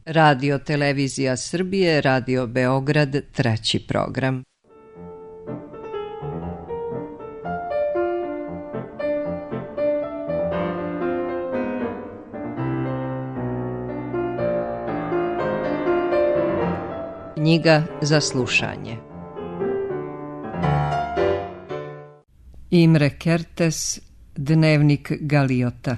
Radio Televizija Srbije, Radio Beograd, 3. program. Knjiga za slušanje. Imre Kertész, Dnevnik Galiota.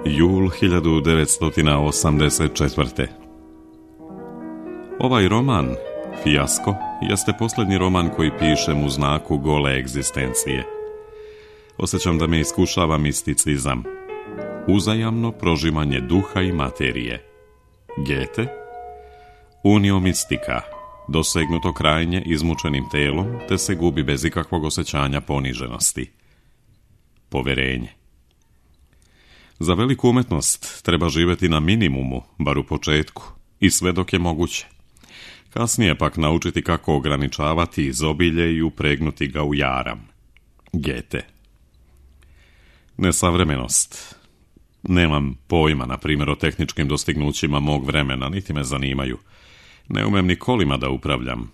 Jul 1984. Ovaj roman, Fijasko, jeste posljednji roman koji pišem u znaku gole egzistencije. Osjećam da me iskušava misticizam, uzajamno prožimanje duha i materije. Goethe, unio mistika, dosegnuto krajnje izmučenim telom, te se gubi bez ikakvog osjećanja poniženosti. Poverenje. Za veliku umetnost treba živjeti na minimumu, bar u početku, i sve dok je moguće. Kasnije pak naučiti kako ograničavati izobilje i upregnuti ga u jaram. Goethe. Nesavremenost. Nemam pojma, na primjer, o tehničkim dostignućima mog vremena, niti me zanimaju. Ne umem ni kolima da upravljam.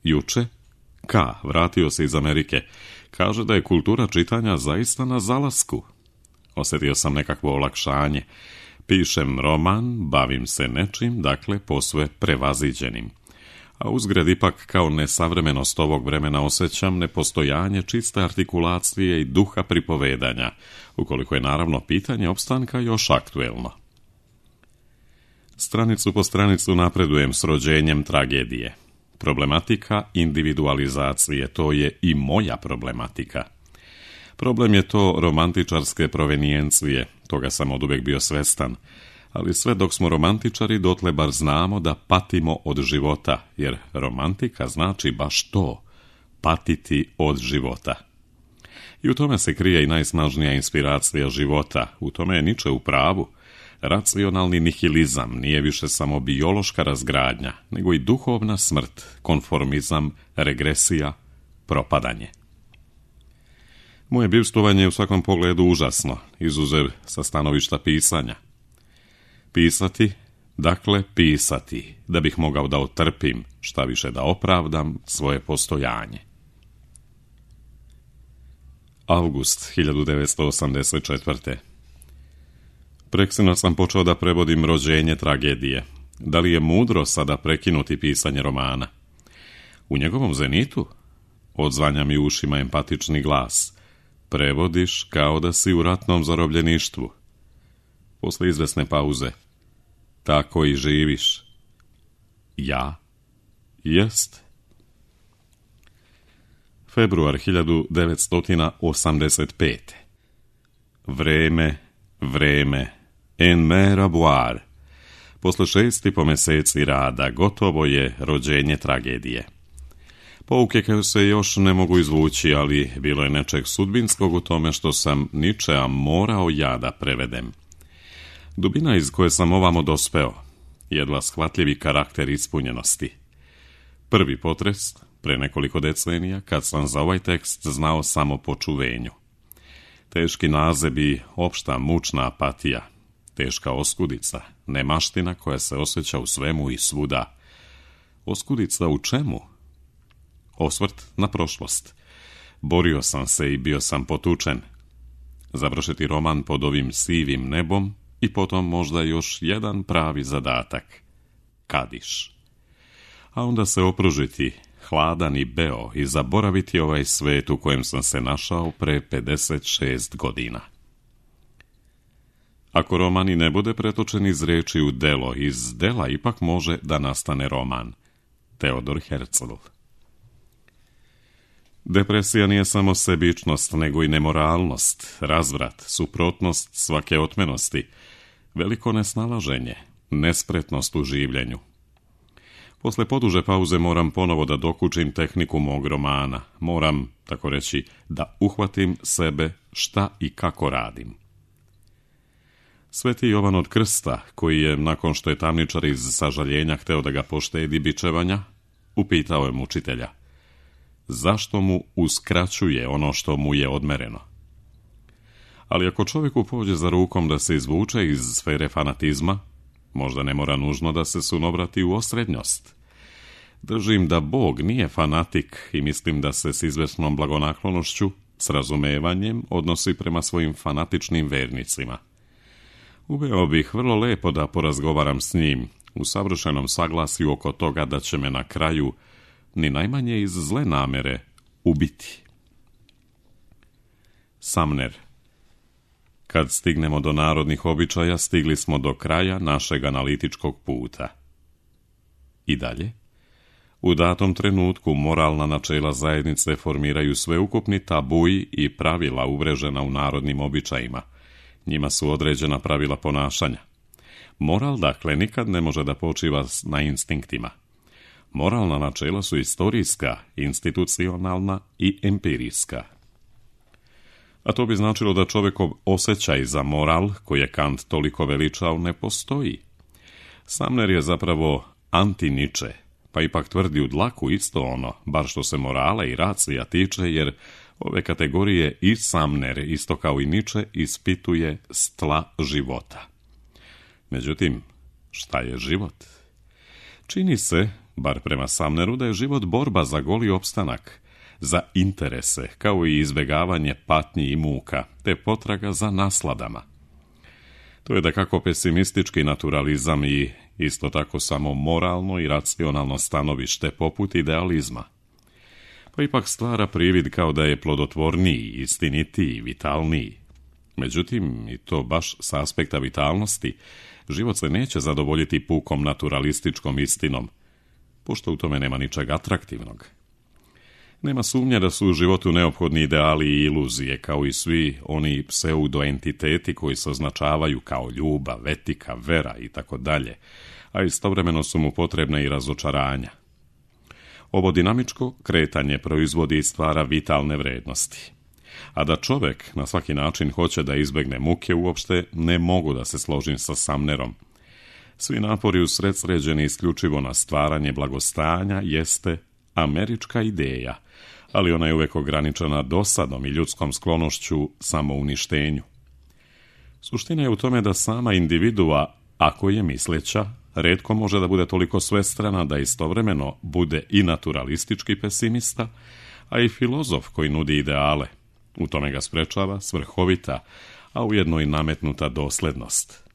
Juče, vratio se iz Amerike, kaže da je kultura čitanja zaista na zalasku. Osjetio sam nekakvo olakšanje. Pišem roman, bavim se nečim, dakle posve prevaziđenim. A uzgred ipak kao nesavremenost ovog vremena osjećam nepostojanje čiste artikulacije i duha pripovedanja, ukoliko je naravno pitanje opstanka još aktuelno. Stranicu po stranicu napredujem s rođenjem tragedije. Problematika individualizacije, to je i moja problematika. Problem je to romantičarske provenijencije, toga sam oduvijek bio svestan, ali sve dok smo romantičari dotle bar znamo da patimo od života, jer romantika znači baš to, patiti od života. I u tome se krije i najsnažnija inspiracija života, u tome je Nietzsche u pravu. Racionalni nihilizam nije više samo biološka razgradnja, nego i duhovna smrt, konformizam, regresija, propadanje. Moje bivstvovanje je u svakom pogledu užasno, izuzev sa stanovišta pisanja. Pisati, dakle pisati, da bih mogao da otrpim, šta više da opravdam svoje postojanje. Avgust 1984. Preksinoć sam počeo da prevodim rođenje tragedije. Da li je mudro sada prekinuti pisanje romana? U njegovom zenitu odzvanja mi ušima empatični glas. Prevodiš kao da si u ratnom zarobljeništvu. Posle izvesne pauze. Tako i živiš. Ja? Jest. Februar 1985. Vreme. En mer à boire. Posle 6,5 mjeseci rada gotovo je rođenje tragedije. Pouke koje se još ne mogu izvući, ali bilo je nečeg sudbinskog u tome što sam Nietzschea morao ja da prevedem. Dubina iz koje sam ovamo dospeo, jedva shvatljivi karakter ispunjenosti. Prvi potres, pre nekoliko decenija, kad sam za ovaj tekst znao samo po čuvenju. Teški nazebi, opšta mučna apatija, teška oskudica, nemaština koja se osjeća u svemu i svuda. Oskudica u čemu? Osvrt na prošlost. Borio sam se i bio sam potučen. Završiti roman pod ovim sivim nebom i potom možda još jedan pravi zadatak. Kadiš. A onda se opružiti, hladan i beo, i zaboraviti ovaj svet u kojem sam se našao pre 56 godina. Ako roman i ne bude pretočen iz reči u delo, iz dela ipak može da nastane roman. Teodor Herzl. Depresija nije samo sebičnost, nego i nemoralnost, razvrat, suprotnost svake otmenosti, veliko nesnalaženje, nespretnost u življenju. Posle poduže pauze moram ponovo da dokučim tehniku mog romana. Moram, tako reći, da uhvatim sebe šta i kako radim. Sveti Jovan od Krsta, koji je, nakon što je tamničar iz sažaljenja hteo da ga poštedi bičevanja, upitao je mučitelja: zašto mu uskraćuje ono što mu je odmereno. Ali ako čovjeku pođe za rukom da se izvuče iz sfere fanatizma, možda ne mora nužno da se sunovrati u osrednjost. Držim da Bog nije fanatik i mislim da se s izvesnom blagonaklonošću, s razumevanjem, odnosi prema svojim fanatičnim vernicima. Uveo bih vrlo lepo da porazgovaram s njim, u savršenom saglasju oko toga da će me na kraju, ni najmanje iz zle namere, ubiti. Sumner. Kad stignemo do narodnih običaja, stigli smo do kraja našeg analitičkog puta. I dalje? U datom trenutku moralna načela zajednice formiraju sveukupni tabuji i pravila uvrežena u narodnim običajima. Njima su određena pravila ponašanja. Moral, dakle, nikad ne može da počiva na instinktima. Moralna načela su istorijska, institucionalna i empirijska. A to bi značilo da čovjekov osjećaj za moral, koji je Kant toliko veličao, ne postoji. Sumner je zapravo anti-Nietzsche, pa ipak tvrdi u dlaku isto ono, bar što se morala i racija tiče, jer ove kategorije i Sumner, isto kao i Nietzsche, ispituje s tla života. Međutim, šta je život? Čini se, bar prema Sumneru, da je život borba za goli opstanak, za interese, kao i izbjegavanje patnji i muka, te potraga za nasladama. To je dakako pesimistički naturalizam i isto tako samo moralno i racionalno stanovište poput idealizma. Pa ipak stvara privid kao da je plodotvorniji, istinitiji, vitalniji. Međutim, i to baš sa aspekta vitalnosti, život se neće zadovoljiti pukom naturalističkom istinom, pošto u tome nema ničeg atraktivnog. Nema sumnje da su u životu neophodni ideali i iluzije, kao i svi oni pseudoentiteti koji se označavaju kao ljubav, etika, vera i tako dalje, a istovremeno su mu potrebne i razočaranja. Ovo dinamičko kretanje proizvodi i stvara vitalne vrednosti. A da čovjek na svaki način hoće da izbjegne muke, uopšte ne mogu da se složim sa Sumnerom. Svi napori usredsređeni isključivo na stvaranje blagostanja jeste američka ideja, ali ona je uvijek ograničena dosadom i ljudskom sklonošću samouništenju. Suština je u tome da sama individua, ako je misleća, retko može da bude toliko svestrana da istovremeno bude i naturalistički pesimista, a i filozof koji nudi ideale. U tome ga sprečava svrhovita, a ujedno i nametnuta doslednost.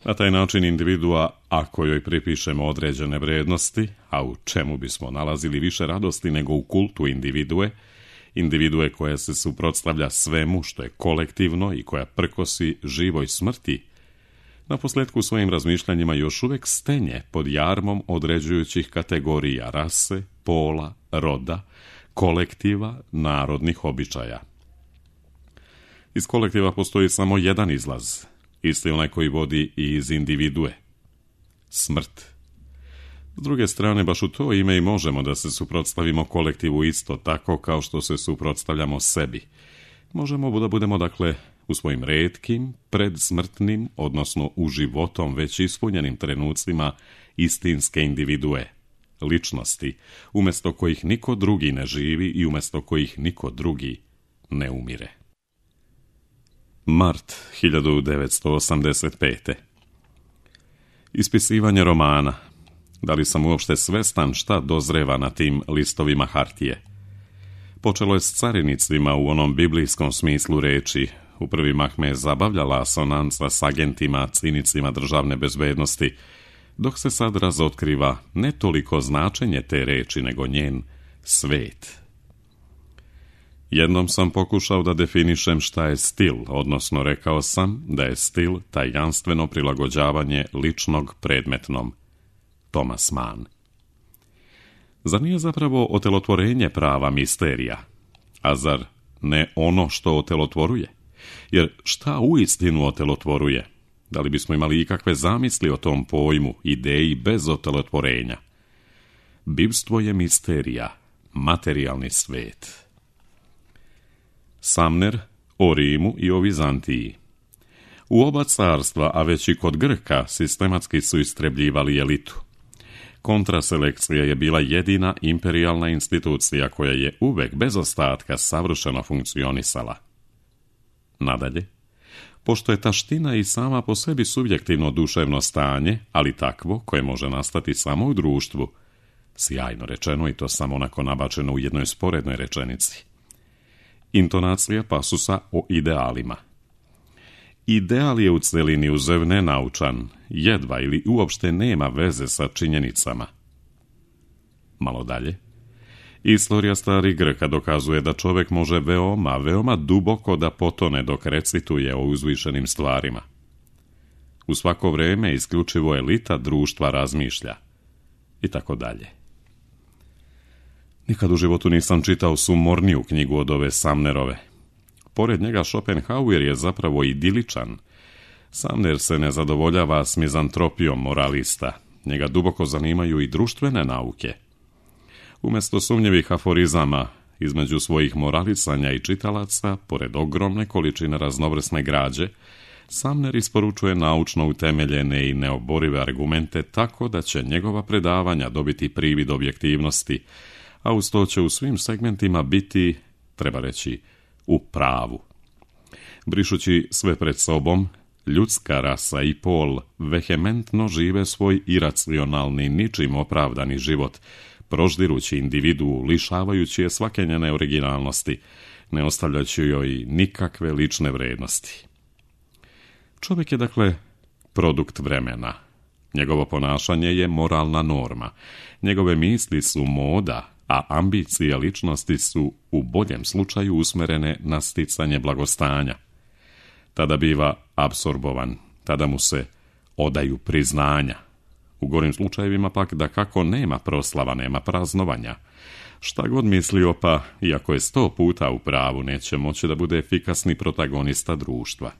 Na taj način individua, ako joj pripišemo određene vrednosti, a u čemu bismo nalazili više radosti nego u kultu individue koja se suprotstavlja svemu što je kolektivno i koja prkosi živoj smrti, naposljetku svojim razmišljanjima još uvijek stenje pod jarmom određujućih kategorija rase, pola, roda, kolektiva, narodnih običaja. Iz kolektiva postoji samo jedan izlaz, isti onaj koji vodi i iz individue. Smrt. S druge strane, baš u to ime i možemo da se suprotstavimo kolektivu isto tako kao što se suprotstavljamo sebi. Možemo da budemo, dakle, u svojim retkim, predsmrtnim, odnosno u životom već ispunjenim trenucima istinske individue, ličnosti, umjesto kojih niko drugi ne živi i umjesto kojih niko drugi ne umire. Mart 1985. Ispisivanje romana. Da li sam uopšte svestan šta dozreva na tim listovima hartije? Počelo je s carinicima u onom biblijskom smislu reči. U prvi mah me je zabavljala asonanca s agentima, cinicima državne bezbednosti, dok se sad razotkriva ne toliko značenje te reči, nego njen svet. Jednom sam pokušao da definišem šta je stil, odnosno rekao sam da je stil tajanstveno prilagođavanje ličnog predmetnom. Thomas Mann. Zar nije zapravo otelotvorenje prava misterija? A zar ne ono što otelotvoruje? Jer šta uistinu otelotvoruje? Da li bismo imali ikakve zamisli o tom pojmu, ideji bez otelotvorenja? Bivstvo je misterija, materijalni svet. Sumner o Rimu i o Vizantiji. U oba carstva, a već i kod Grka, sistematski su istrebljivali elitu. Kontraselekcija je bila jedina imperijalna institucija koja je uvek bez ostatka savršeno funkcionisala. Nadalje, pošto je taština i sama po sebi subjektivno duševno stanje, ali takvo koje može nastati samo u društvu, sjajno rečeno i to samo onako nabačeno u jednoj sporednoj rečenici. Intonacija pasusa o idealima. Ideal je u celini uzev nenaučan, jedva ili uopšte nema veze sa činjenicama. Malo dalje. Istorija starih Grka dokazuje da čovjek može veoma duboko da potone dok recituje o uzvišenim stvarima. U svako vrijeme isključivo elita društva razmišlja. I tako dalje. Nikad u životu nisam čitao sumorniju knjigu od ove Sumnerove. Pored njega Schopenhauer je zapravo idiličan. Sumner se ne zadovoljava s mizantropijom moralista. Njega duboko zanimaju i društvene nauke. Umjesto sumnjivih aforizama između svojih moralisanja i čitalaca, pored ogromne količine raznovrsne građe, Sumner isporučuje naučno utemeljene i neoborive argumente tako da će njegova predavanja dobiti privid objektivnosti, a uz to će u svim segmentima biti, treba reći, u pravu. Brišući sve pred sobom, ljudska rasa i pol vehementno žive svoj iracionalni, ničim opravdani život, proždirući individu, lišavajući je svake njene originalnosti, ne ostavljajući joj nikakve lične vrednosti. Čovjek je, dakle, produkt vremena. Njegovo ponašanje je moralna norma. Njegove misli su moda, a ambicije ličnosti su u boljem slučaju usmerene na sticanje blagostanja. Tada biva apsorbovan, tada mu se odaju priznanja. U gorim slučajevima pak da kako nema proslava, nema praznovanja. Šta god mislio pa, iako je 100 puta u pravu, neće moći da bude efikasni protagonista društva.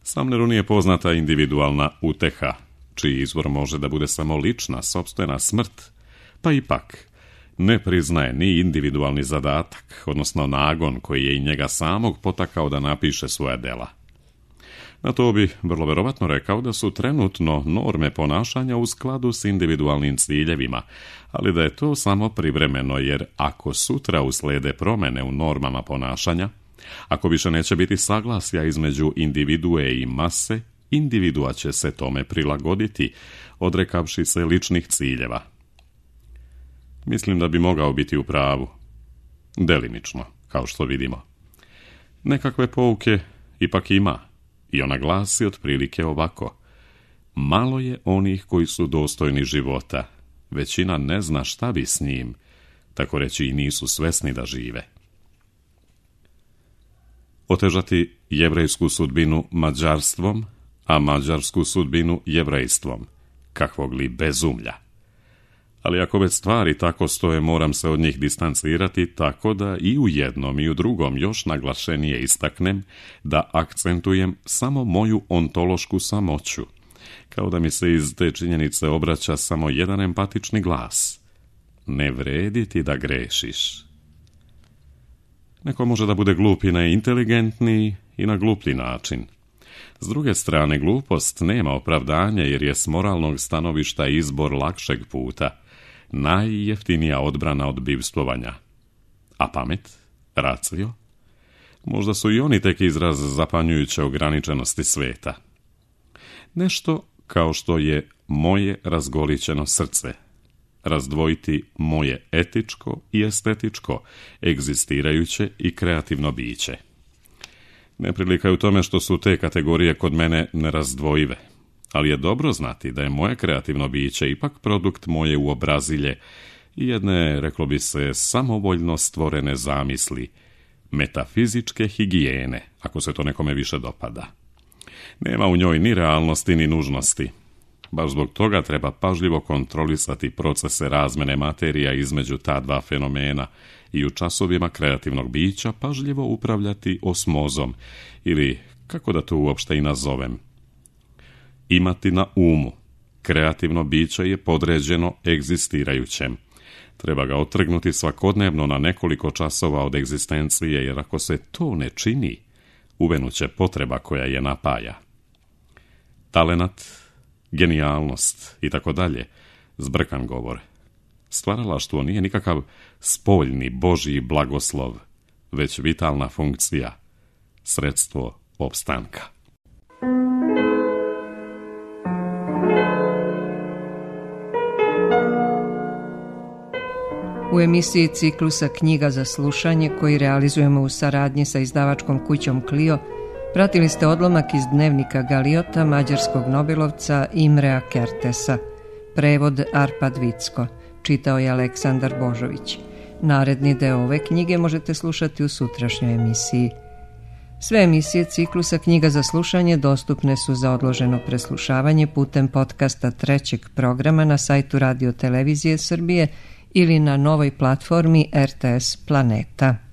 Sumneru nije poznata individualna uteha, čiji izvor može da bude samo lična, sopstvena smrt, pa ipak ne priznaje ni individualni zadatak, odnosno nagon koji je i njega samog potakao da napiše svoja dela. Na to bi vrlo verovatno rekao da su trenutno norme ponašanja u skladu s individualnim ciljevima, ali da je to samo privremeno, jer ako sutra uslede promjene u normama ponašanja, ako više neće biti saglasja između individue i mase, individua će se tome prilagoditi, odrekavši se ličnih ciljeva. Mislim da bi mogao biti u pravu. Delimično, kao što vidimo. Nekakve pouke ipak ima, i ona glasi otprilike ovako. Malo je onih koji su dostojni života, većina ne zna šta bi s njim, tako reći i nisu svesni da žive. Otežati jevrejsku sudbinu mađarstvom, a mađarsku sudbinu jevrejstvom, kakvog li bezumlja. Ali ako već stvari tako stoje, moram se od njih distancirati tako da i u jednom i u drugom još naglašenije istaknem da akcentujem samo moju ontološku samoću, kao da mi se iz te činjenice obraća samo jedan empatični glas. Ne vredi ti da grešiš. Neko može da bude glup i na inteligentniji i na gluplji način. S druge strane, glupost nema opravdanja jer je s moralnog stanovišta izbor lakšeg puta, najjeftinija odbrana od bivstvovanja. A pamet, racio, možda su i oni tek izraz zapanjujuće ograničenosti sveta. Nešto kao što je moje razgolićeno srce, razdvojiti moje etičko i estetičko, egzistirajuće i kreativno biće. Neprilika je u tome što su te kategorije kod mene nerazdvojive, ali je dobro znati da je moje kreativno biće ipak produkt moje uobrazilje i jedne, reklo bi se, samovoljno stvorene zamisli, metafizičke higijene, ako se to nekome više dopada. Nema u njoj ni realnosti ni nužnosti. Baš zbog toga treba pažljivo kontrolisati procese razmene materija između ta dva fenomena i u časovima kreativnog bića pažljivo upravljati osmozom, ili, kako da to uopšte i nazovem, imati na umu. Kreativno biće je podređeno egzistirajućem. Treba ga otrgnuti svakodnevno na nekoliko časova od egzistencije, jer ako se to ne čini, uvenuće potreba koja je napaja. Talenat, genijalnost i tako dalje zbrkan govor. Stvaralaštvo nije nikakav spoljni Božji blagoslov, već vitalna funkcija, sredstvo opstanka. U emisiji ciklusa Knjiga za slušanje, koji realizujemo u saradnji sa izdavačkom kućom Clio, pratili ste odlomak iz dnevnika Galiota mađarskog nobelovca Imrea Kertesa. Prevod Arpad Vicko. Čitao je Aleksandar Božović. Naredni deo ove knjige možete slušati u sutrašnjoj emisiji. Sve emisije ciklusa Knjiga za slušanje dostupne su za odloženo preslušavanje putem podcasta trećeg programa na sajtu Radio Televizije Srbije ili na novoj platformi RTS Planeta.